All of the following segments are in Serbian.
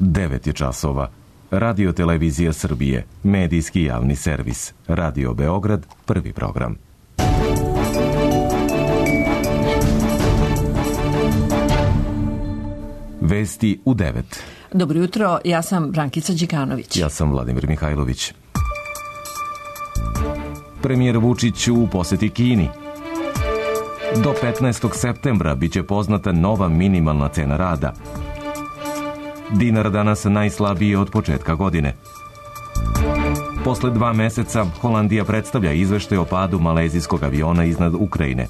9 je časova. Radio Televizija Srbije, medijski javni servis. Radio Beograd, prvi program. Vesti u 9. Dobro jutro, ja sam Brankica Đikanović. Ja sam Vladimir Mihajlović. Premijer Vučić u poseti Kini. Do 15. septembra biće poznata nova minimalna cena rada. Dinar danas najslabiji od početka godine. Posle 2 meseca Holandija predstavlja izveštaj o padu malezijskog aviona iznad Ukrajine.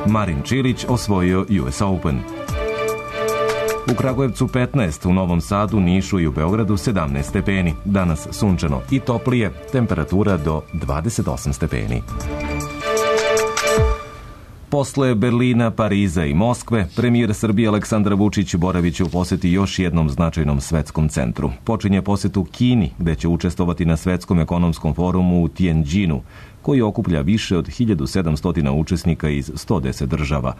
Marin Čilić osvojio US Open. U Kragujevcu 15, u Novom Sadu, Nišu i u Beogradu 17 stepeni. Danas sunčano i toplije, temperatura do 28 stepeni. Posle Berlina, Pariza i Moskve, premijer Srbije Aleksandar Vučić boraviće u poseti još jednom značajnom svetskom centru. Počinje posetu Kini, gde će učestvovati na Svetskom ekonomskom forumu u Tianjinu, koji okuplja više od 1700 učesnika iz 110 država.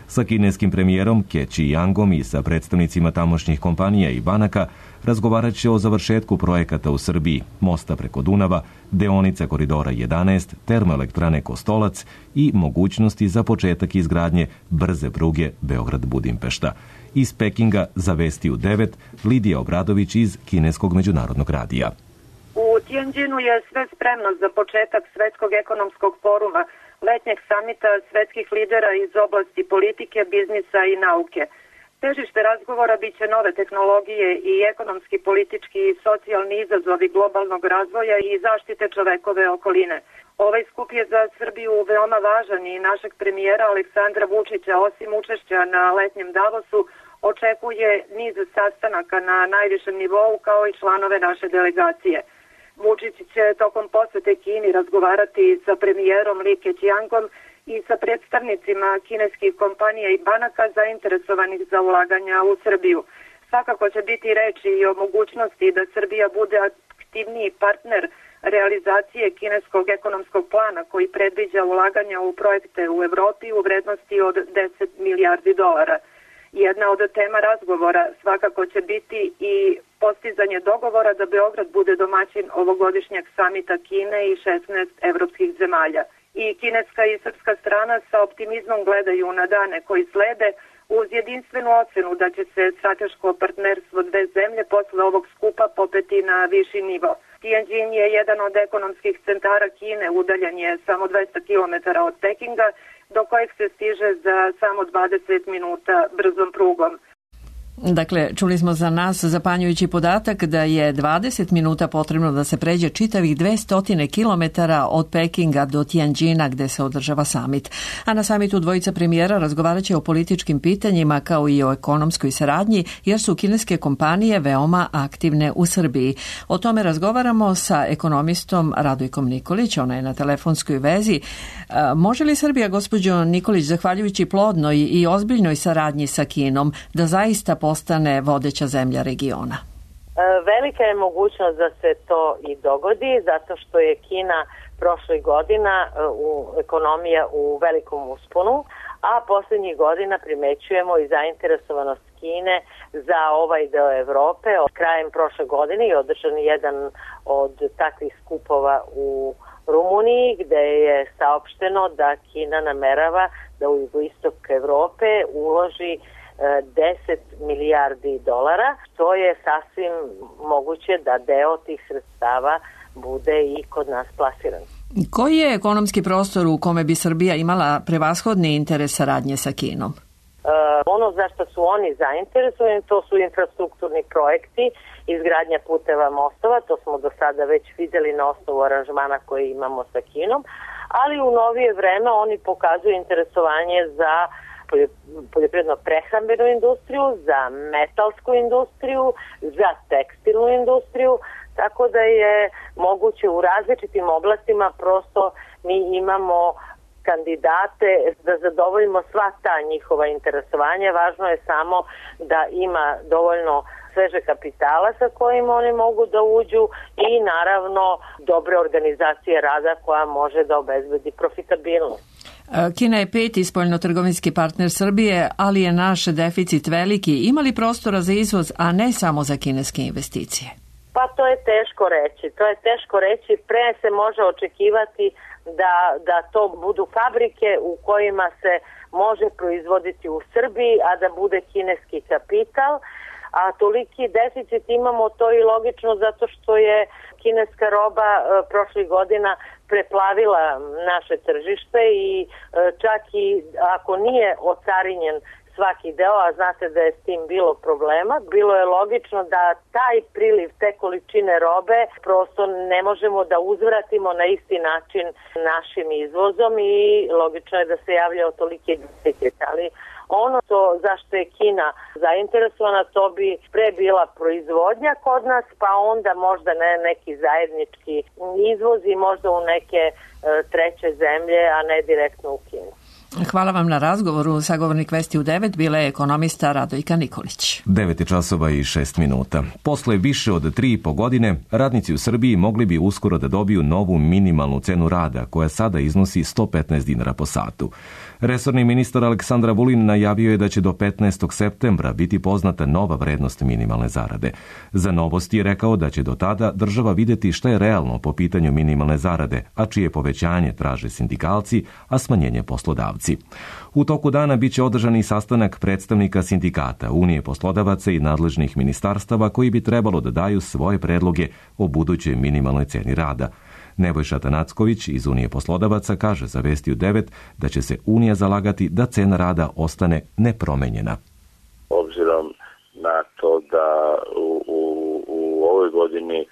Sa kineskim premijerom Keći Jangom i sa predstavnicima tamošnjih kompanija i banaka razgovarat će o završetku projekata u Srbiji, mosta preko Dunava, deonice koridora 11, termoelektrane Kostolac i mogućnosti za početak izgradnje brze pruge Beograd-Budimpešta. Iz Pekinga za Vesti u 9, Lidija Obradović iz Kineskog međunarodnog radija. U Tianjinu je sve spremno za početak Svetskog ekonomskog foruma, letnjeg samita svetskih lidera iz oblasti politike, biznisa i nauke. Težište razgovora biće nove tehnologije i ekonomski, politički i socijalni izazovi globalnog razvoja i zaštite čovekove okoline. Ovaj skup je za Srbiju veoma važan i našeg premijera Aleksandra Vučića, osim učešća na letnjem Davosu, očekuje niz sastanaka na najvišem nivou kao i članove naše delegacije. Vučić će tokom posete Kini razgovarati sa premijerom Li Keqiangom i sa predstavnicima kineskih kompanija i banaka zainteresovanih za ulaganja u Srbiju. Svakako će biti reči i o mogućnosti da Srbija bude aktivniji partner realizacije kineskog ekonomskog plana koji predviđa ulaganja u projekte u Evropi u vrednosti od 10 milijardi dolara. Jedna od tema razgovora svakako će biti i postizanje dogovora da Beograd bude domaćin ovogodišnjeg samita Kine i 16 evropskih zemalja. I kineska i srpska strana sa optimizmom gledaju na dane koji slede uz jedinstvenu ocenu da će se strateško partnerstvo dve zemlje posle ovog skupa popeti na viši nivo. Tianjin je jedan od ekonomskih centara Kine, udaljen je samo 200 km od Pekinga, do kojeg se stiže za samo 20 minuta brzom prugom. Dakle, čuli smo za nas zapanjujući podatak da je 20 minuta potrebno da se pređe čitavih 200 kilometara od Pekinga do Tianjina gde se održava samit. A na samitu dvojica premijera razgovarat će o političkim pitanjima kao i o ekonomskoj saradnji jer su kineske kompanije veoma aktivne u Srbiji. O tome razgovaramo sa ekonomistom Radojkom Nikolić, ona je na telefonskoj vezi. Može li Srbija, gospođo Nikolić, zahvaljujući plodnoj i ozbiljnoj saradnji sa Kinom, da zaista postane vodeća zemlja regiona? Velika je mogućnost da se to i dogodi, zato što je Kina prošlih godina ekonomija u velikom usponu, a poslednjih godina primećujemo i zainteresovanost Kine za ovaj deo Evrope. Krajem prošle godine je održan jedan od takvih skupova u Rumuniji, gde je saopšteno da Kina namerava da u jugoistok Evrope uloži 10 milijardi dolara, što je sasvim moguće da deo tih sredstava bude i kod nas plasiran. Koji je ekonomski prostor u kome bi Srbija imala prevashodni interes saradnje sa Kinom? Ono za što su oni zainteresovani, to su infrastrukturni projekti, izgradnja puteva, mostova, to smo do sada već videli na osnovu aranžmana koje imamo sa Kinom, ali u novije vreme oni pokazuju interesovanje za poljoprivredno-prehrambenu industriju, za metalsku industriju, za tekstilnu industriju, tako da je moguće u različitim oblastima, prosto mi imamo kandidate da zadovoljimo sva ta njihova interesovanja. Važno je samo da ima dovoljno sveže kapitala sa kojim oni mogu da uđu i naravno dobre organizacije rada koja može da obezbedi profitabilnost. Kina je 5. spoljnotrgovinski partner Srbije, ali je naš deficit veliki. Ima li prostora za izvoz, a ne samo za kineske investicije? Pa to je teško reći. Pre se može očekivati da to budu fabrike u kojima se može proizvoditi u Srbiji, a da bude kineski kapital. A toliki deficit imamo, to je logično zato što je kineska roba prošlih godina preplavila naše tržište i čak i ako nije ocarinjen svaki deo, a znate da je s tim bilo problema, bilo je logično da taj priliv, te količine robe prosto ne možemo da uzvratimo na isti način našim izvozom i logično je da se javljao toliki deficit, ali ono zašto je Kina zainteresovana, to bi pre bila proizvodnja kod nas, pa onda možda neki zajednički izvoz i možda u neke treće zemlje, a ne direktno u Kinu. Hvala vam na razgovoru. Sagovornik Vesti u 9 bila je ekonomista Radojka Nikolić. 9:06. Posle više od 3,5 godine, radnici u Srbiji mogli bi uskoro da dobiju novu minimalnu cenu rada, koja sada iznosi 115 dinara po satu. Resorni ministar Aleksandar Vulin najavio je da će do 15. septembra biti poznata nova vrednost minimalne zarade. Za Novosti je rekao da će do tada država videti šta je realno po pitanju minimalne zarade, a čije povećanje traže sindikalci, a smanjenje poslodavci. U toku dana biće održan i sastanak predstavnika sindikata, Unije poslodavaca i nadležnih ministarstava koji bi trebalo da daju svoje predloge o budućoj minimalnoj ceni rada. Nebojša Tanacković iz Unije poslodavaca kaže za Vesti u 9 da će se Unija zalagati da cena rada ostane nepromenjena. Obzirom na to da u ovoj godini,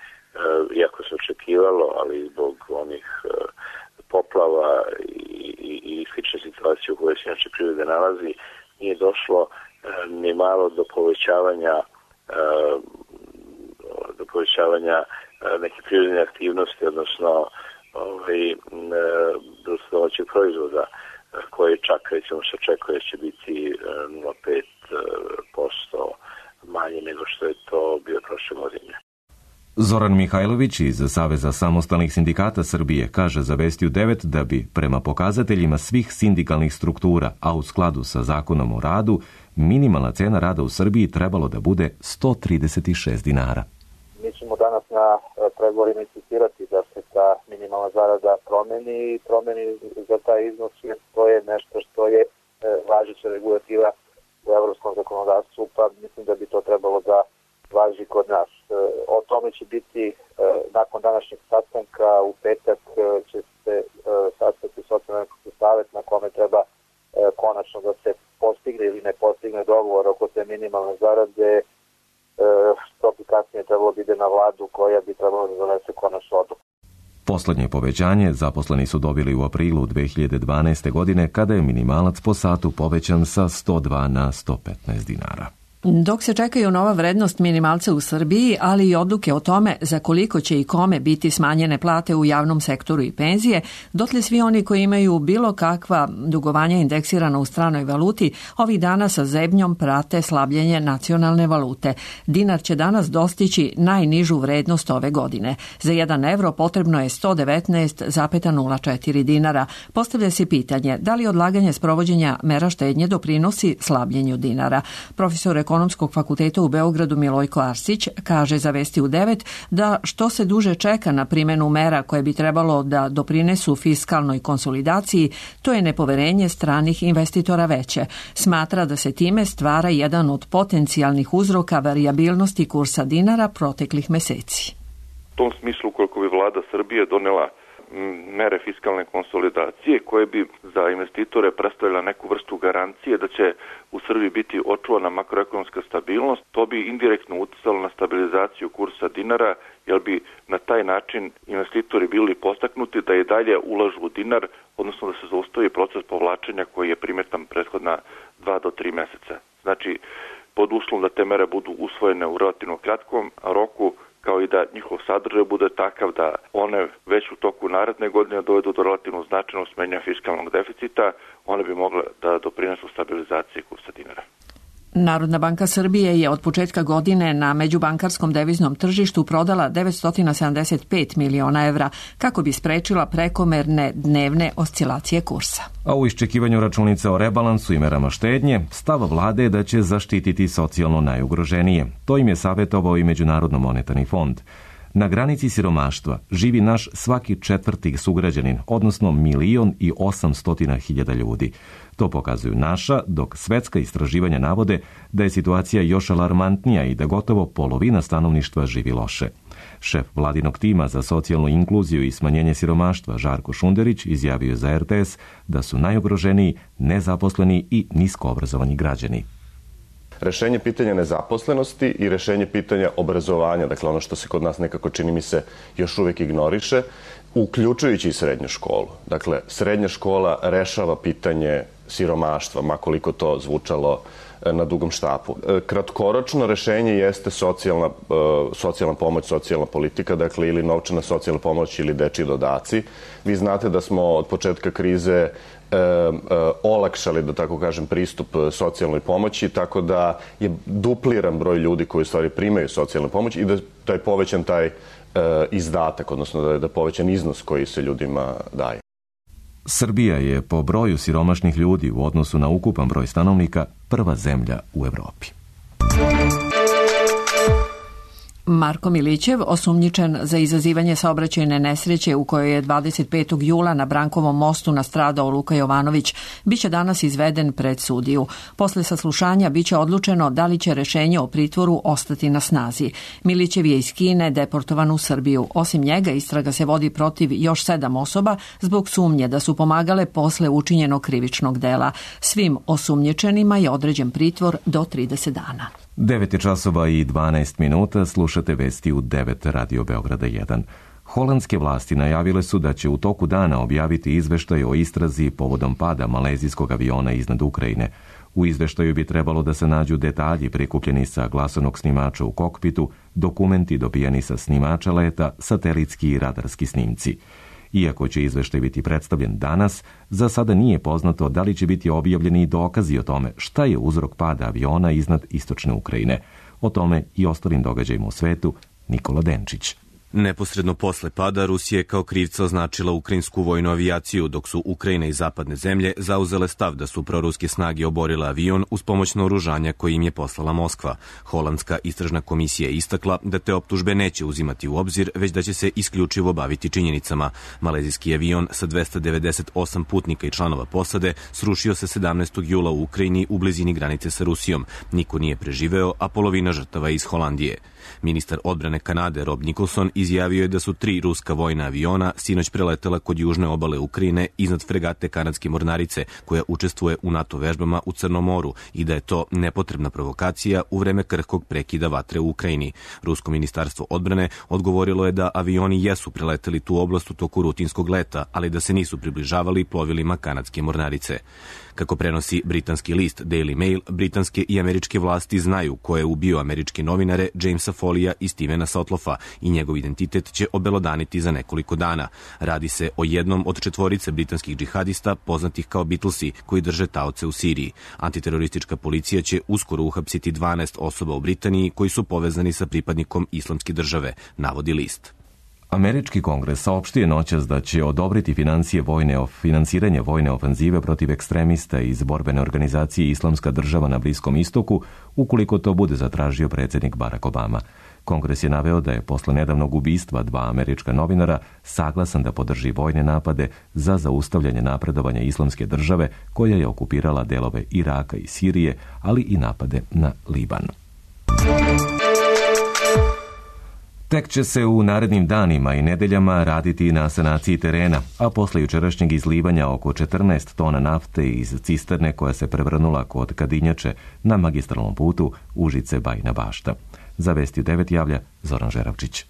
iako se očekivalo, ali zbog onih poplava i slične situacije u kojoj se inače privreda nalazi, nije došlo ni malo do povećavanja neke privredne aktivnosti, odnosno domaćeg proizvoda, koji čak recimo se očekuje da će biti 0,5% manje nego što je to bio prošle godine. Zoran Mihajlović iz Saveza samostalnih sindikata Srbije kaže za Vesti u 9 da bi prema pokazateljima svih sindikalnih struktura, a u skladu sa Zakonom o radu, minimalna cena rada u Srbiji trebalo da bude 136 dinara. Mi ćemo danas na pregovorima insistirati da se ta minimalna zarada promeni za taj iznos, jer to je nešto što je važeća regulativa u evropskom zakonodavstvu, pa mislim da bi to trebalo da važi kod nas. O tome će biti nakon današnjeg sastanka, u petak će se sastati socijalno-ekonomski savet na kome treba konačno da se postigne ili ne postigne dogovor oko te minimalne zarade. To bi kasnije trebalo da ide na vladu koja bi trebalo da donese konačnu odluku. Poslednje povećanje zaposleni su dobili u aprilu 2012. godine kada je minimalac po satu povećan sa 102 na 115 dinara. Dok se čekaju nova vrednost minimalca u Srbiji, ali i odluke o tome za koliko će i kome biti smanjene plate u javnom sektoru i penzije, dotle svi oni koji imaju bilo kakva dugovanja indeksirana u stranoj valuti, ovih dana sa zebnjom prate slabljenje nacionalne valute. Dinar će danas dostići najnižu vrednost ove godine. Za 1 evro potrebno je 119,04 dinara. Postavlja se pitanje da li odlaganje sprovođenja mera štednje doprinosi slabljenju dinara. Profesor Ekonomskog fakulteta u Beogradu Milojko Arsić kaže za Vesti u 9 da što se duže čeka na primjenu mera koje bi trebalo da doprinesu fiskalnoj konsolidaciji, to je nepoverenje stranih investitora veće. Smatra da se time stvara jedan od potencijalnih uzroka varijabilnosti kursa dinara proteklih meseci. U tom smislu, koliko bi vlada Srbije donela mere fiskalne konsolidacije koje bi za investitore predstavila neku vrstu garancije da će u Srbiji biti očuvana makroekonomska stabilnost, to bi indirektno uticalo na stabilizaciju kursa dinara, jer bi na taj način investitori bili postaknuti da i dalje ulažu u dinar, odnosno da se zaustavi proces povlačenja koji je primetan prethodna 2 do 3 meseca. Znači, pod uslovom da te mere budu usvojene u relativno kratkom roku, kao i da njihov sadržaj bude takav da one već u toku naredne godine dovedu do relativno značajnog smanjenja fiskalnog deficita, one bi mogle da doprinesu stabilizaciji kursa dinara. Narodna banka Srbije je od početka godine na međubankarskom deviznom tržištu prodala 975 miliona evra kako bi sprečila prekomerne dnevne oscilacije kursa. A u iščekivanju računica o rebalansu i merama štednje, stav vlade je da će zaštititi socijalno najugroženije. To im je savjetovao i Međunarodno monetarni fond. Na granici siromaštva živi naš svaki četvrti sugrađanin, odnosno 1.800.000 ljudi. To pokazuju naša, dok svetska istraživanja navode da je situacija još alarmantnija i da gotovo polovina stanovništva živi loše. Šef vladinog tima za socijalnu inkluziju i smanjenje siromaštva Žarko Šunderić izjavio za RTS da su najugroženiji nezaposleni i niskoobrazovani građani. Rešenje pitanja nezaposlenosti i rešenje pitanja obrazovanja, dakle ono što se kod nas nekako čini mi se još uvijek ignoriše, uključujući i srednju školu. Dakle, srednja škola rešava pitanje siromaštva, makoliko to zvučalo na dugom štapu. Kratkoročno rešenje jeste socijalna pomoć, socijalna politika, dakle ili novčana socijalna pomoć ili dečji dodaci. Vi znate da smo od početka krize olakšali, da tako kažem, pristup socijalnoj pomoći, tako da je dupliran broj ljudi koji u stvari primaju socijalnu pomoć i da je povećan taj izdatak, odnosno da je povećan iznos koji se ljudima daje. Srbija je po broju siromašnih ljudi u odnosu na ukupan broj stanovnika prva zemlja u Evropi. Marko Milićev, osumnjičen za izazivanje saobraćajne nesreće u kojoj je 25. jula na Brankovom mostu nastradao Luka Jovanović, biće danas izveden pred sudiju. Posle saslušanja biće odlučeno da li će rešenje o pritvoru ostati na snazi. Milićev je iz Kine deportovan u Srbiju. Osim njega, istraga se vodi protiv još 7 osoba zbog sumnje da su pomagale posle učinjenog krivičnog dela. Svim osumnjičenima je određen pritvor do 30 dana. 9 časova i 12 minuta, slušate vesti u 9 Radio Beograda 1. Holandske vlasti najavile su da će u toku dana objaviti izveštaj o istrazi povodom pada malezijskog aviona iznad Ukrajine. U izveštaju bi trebalo da se nađu detalji prikupljeni sa glasovnog snimača u kokpitu, dokumenti dobijeni sa snimača leta, satelitski i radarski snimci. Iako će izveštaj biti predstavljen danas, za sada nije poznato da li će biti objavljeni dokazi o tome šta je uzrok pada aviona iznad istočne Ukrajine. O tome i ostalim događajima u svetu, Nikola Denčić. Neposredno posle pada Rusija je kao krivca označila ukrajinsku vojnu avijaciju, dok su Ukrajina i zapadne zemlje zauzele stav da su proruske snage oborile avion uz pomoć naoružanja koje im je poslala Moskva. Holandska istražna komisija je istakla da te optužbe neće uzimati u obzir, već da će se isključivo baviti činjenicama. Malezijski avion sa 298 putnika i članova posade srušio se 17. jula u Ukrajini u blizini granice sa Rusijom. Niko nije preživeo, a polovina žrtava je iz Holandije. Ministar odbrane Kanade Rob Nicholson izjavio je da su 3 ruska vojna aviona sinoć preletela kod južne obale Ukrajine iznad fregate kanadske mornarice koja učestvuje u NATO vežbama u Crnom moru i da je to nepotrebna provokacija u vreme krhkog prekida vatre u Ukrajini. Rusko ministarstvo odbrane odgovorilo je da avioni jesu preleteli tu oblast u toku rutinskog leta, ali da se nisu približavali plovilima kanadske mornarice. Kako prenosi britanski list Daily Mail, britanske i američke vlasti znaju ko je ubio američke novinare Jamesa Folija i Stevena Sotloffa i njegov identitet će obelodaniti za nekoliko dana. Radi se o jednom od 4 britanskih džihadista poznatih kao Beatlesi koji drže taoce u Siriji. Antiteroristička policija će uskoro uhapsiti 12 osoba u Britaniji koji su povezani sa pripadnikom Islamske države, navodi list. Američki kongres saopštio noćas da će odobriti finansiranje vojne ofenzive protiv ekstremista iz borbene organizacije Islamska država na Bliskom istoku, ukoliko to bude zatražio predsjednik Barack Obama. Kongres je naveo da je posle nedavnog ubistva 2 američka novinara saglasan da podrži vojne napade za zaustavljanje napredovanja Islamske države koja je okupirala delove Iraka i Sirije, ali i napade na Liban. Tek će se u narednim danima i nedeljama raditi na sanaciji terena, a posle jučerašnjeg izlivanja oko 14 tona nafte iz cisterne koja se prevrnula kod Kadinjače na magistralnom putu Užice-Bajina Bašta. Za Vesti 9 javlja Zoran Žeravčić.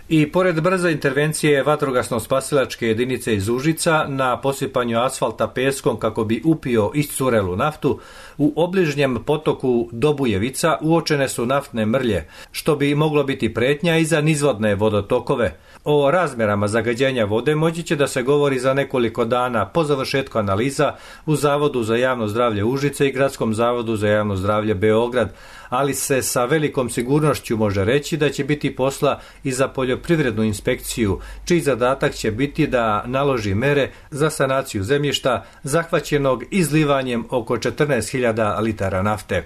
I pored brze intervencije vatrogasno-spasilačke jedinice iz Užica na posipanju asfalta peskom kako bi upio iscurelu naftu, u obližnjem potoku Dobujevica uočene su naftne mrlje, što bi moglo biti pretnja i za nizvodne vodotokove. O razmerama zagađenja vode moći će da se govori za nekoliko dana po završetku analiza u Zavodu za javno zdravlje Užice i Gradskom zavodu za javno zdravlje Beograd, ali se sa velikom sigurnošću može reći da će biti posla i za poljoprivrednu inspekciju, čiji zadatak će biti da naloži mere za sanaciju zemljišta zahvaćenog izlivanjem oko 14.000 litara nafte.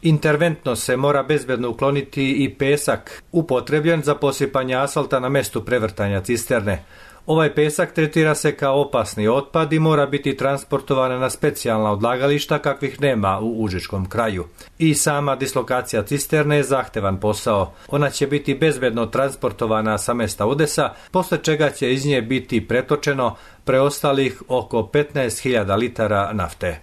Interventno se mora bezbedno ukloniti i pesak upotrebljen za posipanje asfalta na mestu prevrtanja cisterne. Ovaj pesak tretira se kao opasni otpad i mora biti transportovan na specijalna odlagališta kakvih nema u užičkom kraju. I sama dislokacija cisterne je zahtevan posao. Ona će biti bezbedno transportovana sa mesta udesa, posle čega će iz nje biti pretočeno preostalih oko 15.000 litara nafte.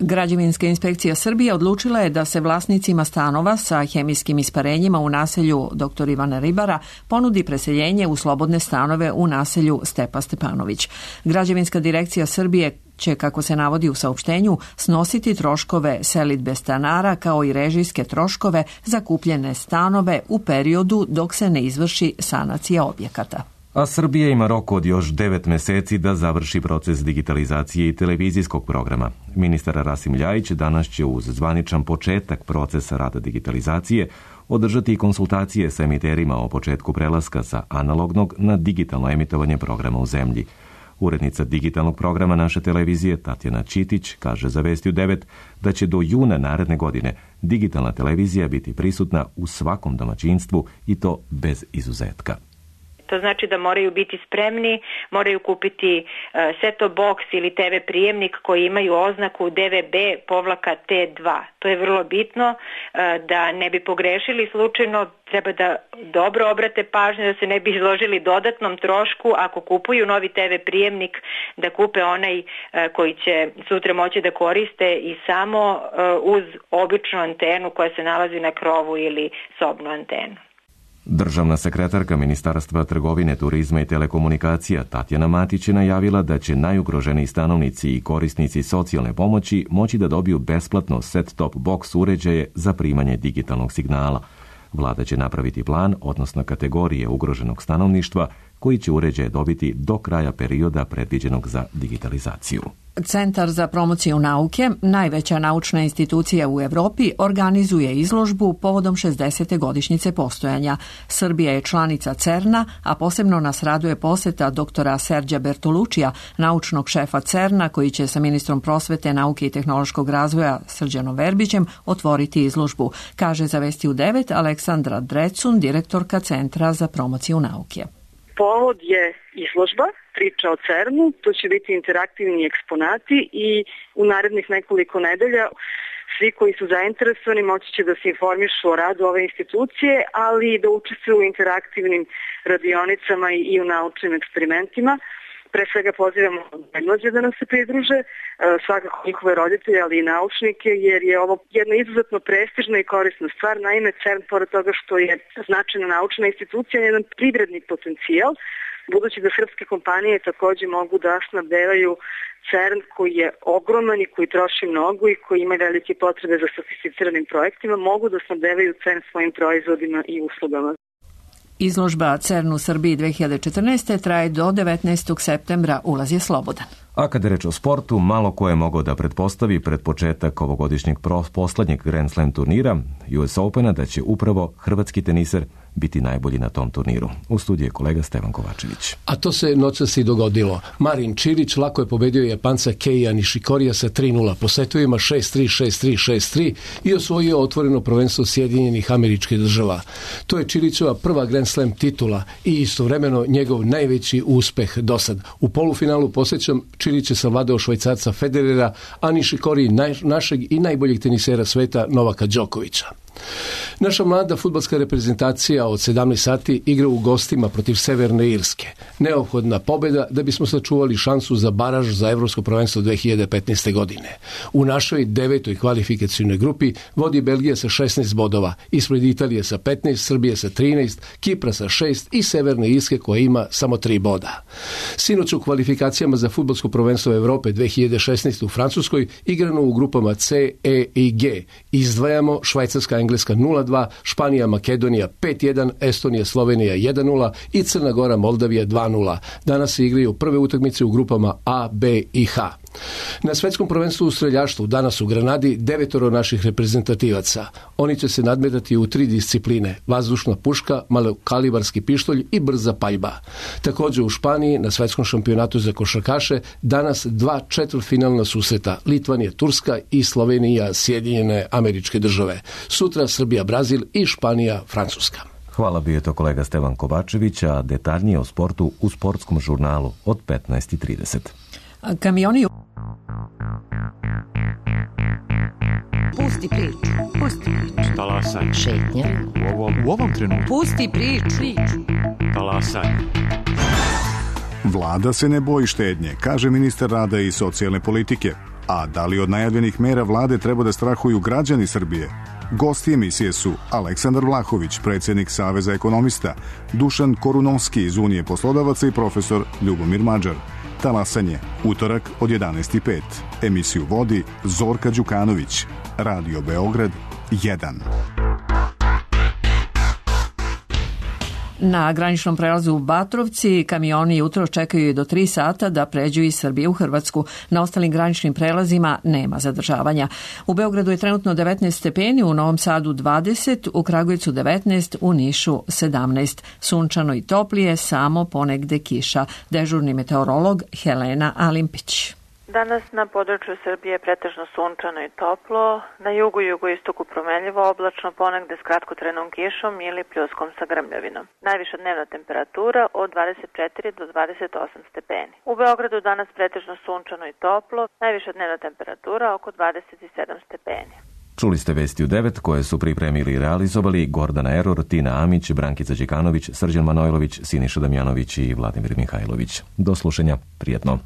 Građevinska inspekcija Srbije odlučila je da se vlasnicima stanova sa hemijskim isparenjima u naselju dr. Ivana Ribara ponudi preseljenje u slobodne stanove u naselju Stepa Stepanović. Građevinska direkcija Srbije će, kako se navodi u saopštenju, snositi troškove selidbe stanara kao i režijske troškove za kupljene stanove u periodu dok se ne izvrši sanacija objekata. A Srbija ima rok od još 9 meseci da završi proces digitalizacije i televizijskog programa. Ministar Rasim Ljajić danas će uz zvaničan početak procesa rada digitalizacije održati konsultacije sa emiterima o početku prelaska sa analognog na digitalno emitovanje programa u zemlji. Urednica digitalnog programa naše televizije Tatjana Čitić kaže za Vesti u 9 da će do juna naredne godine digitalna televizija biti prisutna u svakom domaćinstvu i to bez izuzetka. To znači da moraju biti spremni, moraju kupiti set-top box ili TV prijemnik koji imaju oznaku DVB-T2. To je vrlo bitno da ne bi pogrešili slučajno, treba da dobro obrate pažnju da se ne bi izložili dodatnom trošku ako kupuju novi TV prijemnik, da kupe onaj koji će sutra moći da koriste i samo uz običnu antenu koja se nalazi na krovu ili sobnu antenu. Državna sekretarka Ministarstva trgovine, turizma i telekomunikacija Tatjana Matić je najavila da će najugroženiji stanovnici i korisnici socijalne pomoći moći da dobiju besplatno set-top box uređaje za primanje digitalnog signala. Vlada će napraviti plan, odnosno kategorije ugroženog stanovništva, koji će uređaje dobiti do kraja perioda predviđenog za digitalizaciju. Centar za promociju nauke, najveća naučna institucija u Evropi, organizuje izložbu povodom 60. godišnjice postojanja. Srbija je članica CERN-a, a posebno nas raduje poseta doktora Serđa Bertolučija, naučnog šefa CERN-a, koji će sa ministrom prosvete, nauke i tehnološkog razvoja Srđanom Verbićem otvoriti izložbu, kaže za Vesti u 9 Aleksandra Drecun, direktorka Centra za promociju nauke. Povod je izložba, priča o CERN-u, to će biti interaktivni eksponati i u narednih nekoliko nedelja svi koji su zainteresovani moći će da se informišu o radu ove institucije, ali i da učestvuju u interaktivnim radionicama i u naučnim eksperimentima. Pre svega pozivamo najmlađe da nam se pridruže, svakako njihove roditelje, ali i naučnike, jer je ovo jedna izuzetno prestižna i korisna stvar. Naime, CERN, pored toga što je značajna naučna institucija, je jedan privredni potencijal, budući da srpske kompanije takođe mogu da snabdevaju CERN koji je ogroman i koji troši mnogo i koji ima velike potrebe za sofisticiranim projektima, mogu da snabdevaju CERN svojim proizvodima i uslugama. Izložba CERN u Srbiji 2014. traje do 19. septembra, ulaz je slobodan. A kada je reč o sportu, malo ko je mogao da pretpostavi pred početak ovogodišnjeg poslednjeg Grand Slam turnira US Opena da će upravo hrvatski teniser biti najbolji na tom turniru. U studiju je kolega Stevan Kovačević. A to se noćas i dogodilo. Marin Čilić lako je pobedio Japanca Keija Nishikorija sa 3-0 po setovima 6-3, 6-3, 6-3 i osvojio otvoreno prvenstvo Sjedinjenih Američkih Država. To je Čilićova prva Grand Slam titula i istovremeno njegov najveći uspeh dosad. U polufinalu, posjećam, Čilić je savladao Švajcarca Federera, a Nishikori našeg i najboljeg tenisera sveta Novaka Đokovića. Naša mlada fudbalska reprezentacija od 17 sati igra u gostima protiv Severne Irske. Neophodna pobjeda da bismo sačuvali šansu za baraž za Evropsko prvenstvo 2015. godine. U našoj 9. kvalifikacijnoj grupi vodi Belgija sa 16 bodova, ispred Italije sa 15, Srbije sa 13, Kipra sa 6 i Severne Irske koja ima samo 3 boda. Sinoć u kvalifikacijama za fudbalsko prvenstvo Evrope 2016 u Francuskoj igrano u grupama C, E i G. Izdvajamo Švajcarska, Engleska 0-2, Španija, Makedonija 5-1, Estonija, Slovenija 1-0 i Crna Gora, Moldavija 2-0. Danas se igraju prve utakmice u grupama A, B i H. Na svetskom prvenstvu u streljaštvu danas u Granadi 9 naših reprezentativaca. Oni će se nadmetati u 3 discipline: vazdušna puška, malokalibarski pištolj i brza paljba. Također u Španiji na svetskom šampionatu za košarkaše danas 2 četvrtfinalna susreta: Litvanija, Turska i Slovenija, Sjedinjene Američke Države. Sutra Srbija, Brazil i Španija, Francuska. Hvala, bio je to kolega Stevan Kovačević, a detaljnije o sportu u sportskom žurnalu od 15:30. Kamioni... Pusti priču. Pusti priču. Talasaj. Šetnja. U ovom trenutku. Pusti priču. Talasaj. Vlada se ne boji štednje, kaže ministar rada i socijalne politike. A da li od najavljenih mera vlade treba da strahuju građani Srbije? Gosti emisije su Aleksandar Vlahović, predsjednik Saveza ekonomista, Dušan Korunovski iz Unije poslodavaca i profesor Ljubomir Mađar. Talasanje, utorak od 11:05. Emisiju vodi Zorka Đukanović. Radio Beograd 1. Na graničnom prelazu u Batrovci kamioni jutro čekaju do 3 sata da pređu iz Srbije u Hrvatsku. Na ostalim graničnim prelazima nema zadržavanja. U Beogradu je trenutno 19 stepeni, u Novom Sadu 20, u Kragujevcu 19, u Nišu 17. Sunčano i toplije, samo ponegde kiša. Dežurni meteorolog Helena Alimpić. Danas na području Srbije je pretežno sunčano i toplo, na jugu i jugoistoku promenljivo oblačno, ponegde s kratkotrenom kišom ili pljuskom sa grmljavinom. Najviša dnevna temperatura od 24 do 28 stepeni. U Beogradu danas pretežno sunčano i toplo, najviša dnevna temperatura oko 27 stepeni. Čuli ste vesti u 9 koje su pripremili i realizovali Gordana Eror, Tina Amić, Brankica Đekanović, Srđan Manojlović, Siniša Damjanović i Vladimir Mihajlović. Do slušanja, prijetno.